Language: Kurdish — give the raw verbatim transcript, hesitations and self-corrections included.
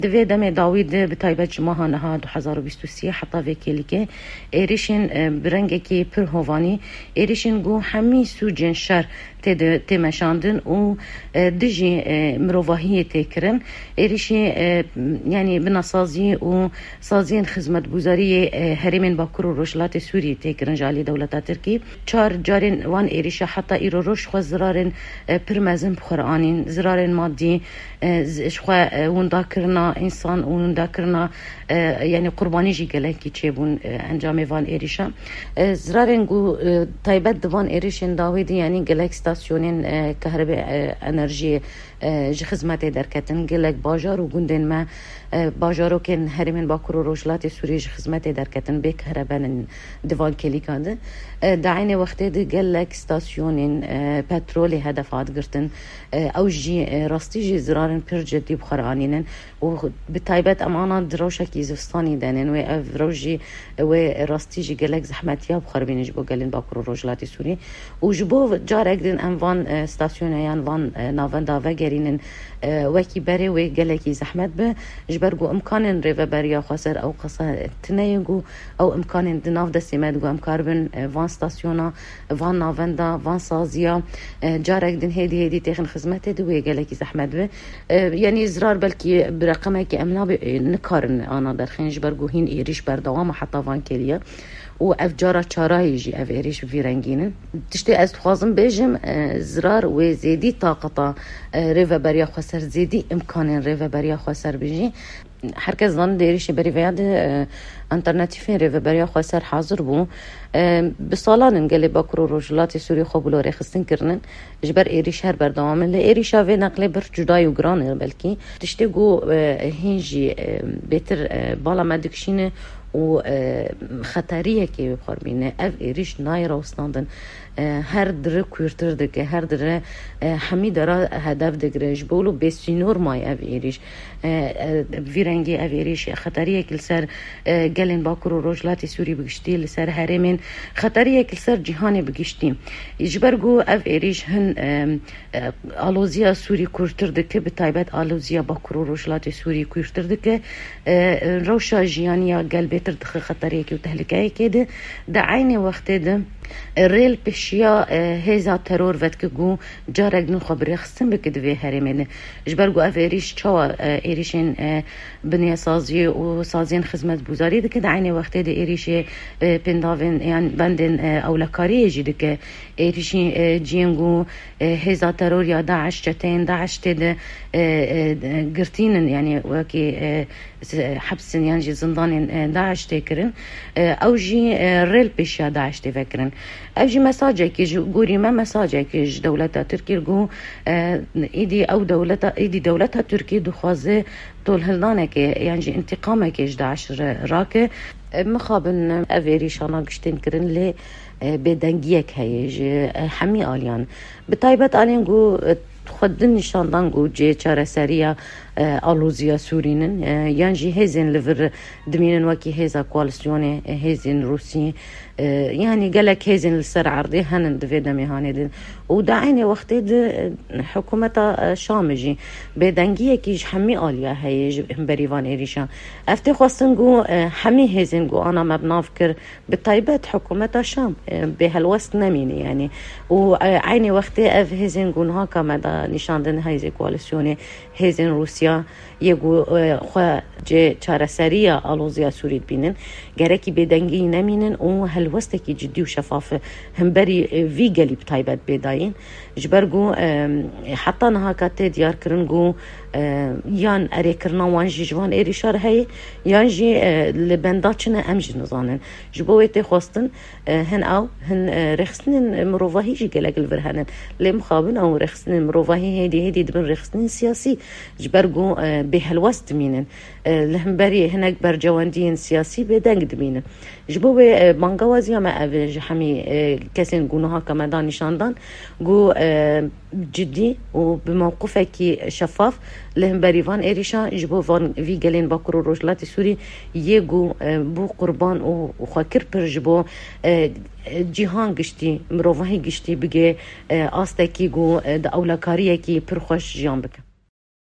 Di vê demê dawî de, bi taybet ji meha niha du hezar û bîst û sê heta vê kêlîkê, êrişên, e, bi rengekî pir hovanî, êrişên ku hemî sûcên şer tê de, tê meşandin û, e, dijî, e, mirovahiyê tê kirin. Êrişî, e, yanî binasazî û saziyên xizmetguzariyê, e, herêmên Bakur û Rojhilatê Sûriyê tê kirin ji alî dewleta Tirkî. Çar carên wan êrişa heta îro roj xwe zirarên, e, pir mezin bi xwe re anîn, zirarên madî, e, z-, ji xwe, e, windakirina însan û windakirina, e, yanî qurbanî jî gelekî çêbûn, e, encamê van êrişa. E, zirarên ku, e, taybet di van êrişên dawî de, yanî gelek stasyonên, e, kehrebe, e, enerjiyê, e, ji xizmetê derketin, gelek bajar û gundên me, e, bajarokên herêmên Bakur û Rojhilatê Sûriyê ji xizmetê derketin, bê kehrebenin di van kêlîkan de. E, di eynê wextê de gelek stasyonên, e, petrolê hedef hat girtin. E, ew jî, e, rastî jî zirarên pir cidî bi xwe re anînin û bi taybet em ana di rewşekî zivistanî de ne. Wê ev rewş jî, wê rastî jî gelek zehmetiya bi xwe re bînin ji bo gelên Bakur û Rojhilatê Sûriyê. Û ji bo carek din em van, e, stasyoneyan, van, e, navenda vegerînin, e, wekî berê wê gelekî zehmet be, ji ber ku imkanên rêveberiya xweser ew qasa tune ye ku ew imkanên di nav destê me de ku em karibin, e, van stasyona, van navenda, van saziya, e, carek din hêdî hêdî têxin xizmetê de wê gelekî zehmet be. E, yanî zirar belkî bi reqemekî em nabe, e, nikarin ana derxên ji ber ku hîn êrîş berdewam e heta van kêliye. Û ev cara çarayê jî ev êrîş bi vî rengî ne. Tiştê ez dixwazim bêjim, e, zirar wê zêdî taqeta, e, rêveberiya xweser, zêdî imkanên rêveberiya xweser bijî. Her kes zanin di êrîşê berî veya de, e, alternatîfên rêveberiya xweser hazir bû. E, bi salan in gelê Bakur û Rojhilatê Sûriyê xwe bi lo rêxistin kirinin. Ji ber êrîş her berdewam in. Lê êrîşa vê neqlê bir cuda û giran e belkî. Tiştê ku, e, hîn jî, e, bêtir, e, bala me dikişîne û, e, xeteriyekê wê xwe bîne. Ev êrîş nayê rawestandin. E, her dire kûrtir dike, her dire, e, hemî dera hedef digire. Ji bo wilo bêsînor maye ev êrîş. E, e, bi vî rengî ev êrîş xeteriyek li ser, e, gelên Bakur û Rojhilatê Sûrî bi giştî, li ser herêmên, xeteriyek li ser cîhanê bi giştî. Ji ber ku ev êrîş hin, e, e, aloziya Sûrî kûrtir dike, bi taybet aloziya Bakur û Rojhilatê Sûrî kûrtir dike, e, rewşa jiyaniya gel bêtir dixe xeteriyekê û tehlikeyekê de. Di eynê wextê de, e, rêl pêşiya, e, hêza teror vedike ku carek din xwe bi rêxistin bike di vê herêmê de. Ji ber ku ev êrîş çawa, e, êrîşên, e, binyasaziyê û saziyên xizmetguzarî dike, di eynê wextê de êrîşê, e, pêndavên yan bendên, e, ewlekariyê jî dike. Êrîşî, e, ciyên ku, e, hêza teror ya DAIŞ, çeteyên DAIŞ tê de, e, e, girtînin, yanî wekî, e, s-, hepsin yan jî zindanên, e, DAIŞ tê kirin. E, ew jî, e, rêl pêşiya DAIŞ tê vekirin. Ev jî mesajekî ji gorî me, mesajekî ji dewleta Tirkî ku, e, îdî ew dewleta, îdî dewleta Tirkî dixwaze tolhildanekê yan jî întîqamekê ji DAIŞ re rake. E, mixabin ev êrîşana giştên kirin lê, e, bêdengiyek heye ji, e, hemî aliyan. Bi taybet aliyên ku, e, xwe din nîşan dan ku cihê çareseriya, e, aloziya Sûrî nin, e, yan jî hêzên li vir dimînin wekî hêza koalîsyonê, e, hêzên Rûsî, e, yanî gelek hêzên li ser erdê henin di vê demê hanê din. Û di eynê wextê de, e, hikûmeta, e, Şamê jî bêdengiyekî ji hemî aliya heye ji hemberî van êrîşan. Ev tê xwestin ku, e, hemî hêzên ku ana me bi nav kir, bi taybet hikûmeta Şam, e, bê helwest nemîne, yanî. Û, e, eynê wextê ev hêzên ku niha ka me da nîşandin, hêzê koalîsyonê, hêzên Rûsya yê ku, e, xwe cê çareseriya aloziya Sûrî dibînin, gerekî bêdengî nemînin û helwestekî cidî û şefaf himberî, e, vî gelî bi taybet bê dayîn. Ji ber ku, e, heta niha ka tê diyarkirin ku, e, yan erêkirina wan jî ji van êrîşa re heye, yan jî, e, li benda çi ne em jî nizanin. Ji bo wê tê xwestin, e, hin ew, hin, e, rêxistinên mirovahî jî gelek li vir henin. Lê mixabin ew rêxistinên mirovahî hêdî hêdî dibin rêxistinên siyasî. Ji ber ku, e, bêhelwest dimînin. E, li hemberî hinek bercewendiyên siyasî bêdeng dimînin. Ji bo wê, e, bangewaziya me ev e ji hemî, e, kesên ku niha ka me da nîşan dan, ku, e, cidî û bi mewqifekî şefaf li hemberî van êrîşa ji bo van vî gelên Bakur û Rojhilatê Sûrî yê ku, e, bû qurban û xwe kir pir ji bo, e, cîhan giştî, mirovahî giştî bigê, e, astekî ku, e, di ewlekariyekî pir xweş jiyan bike.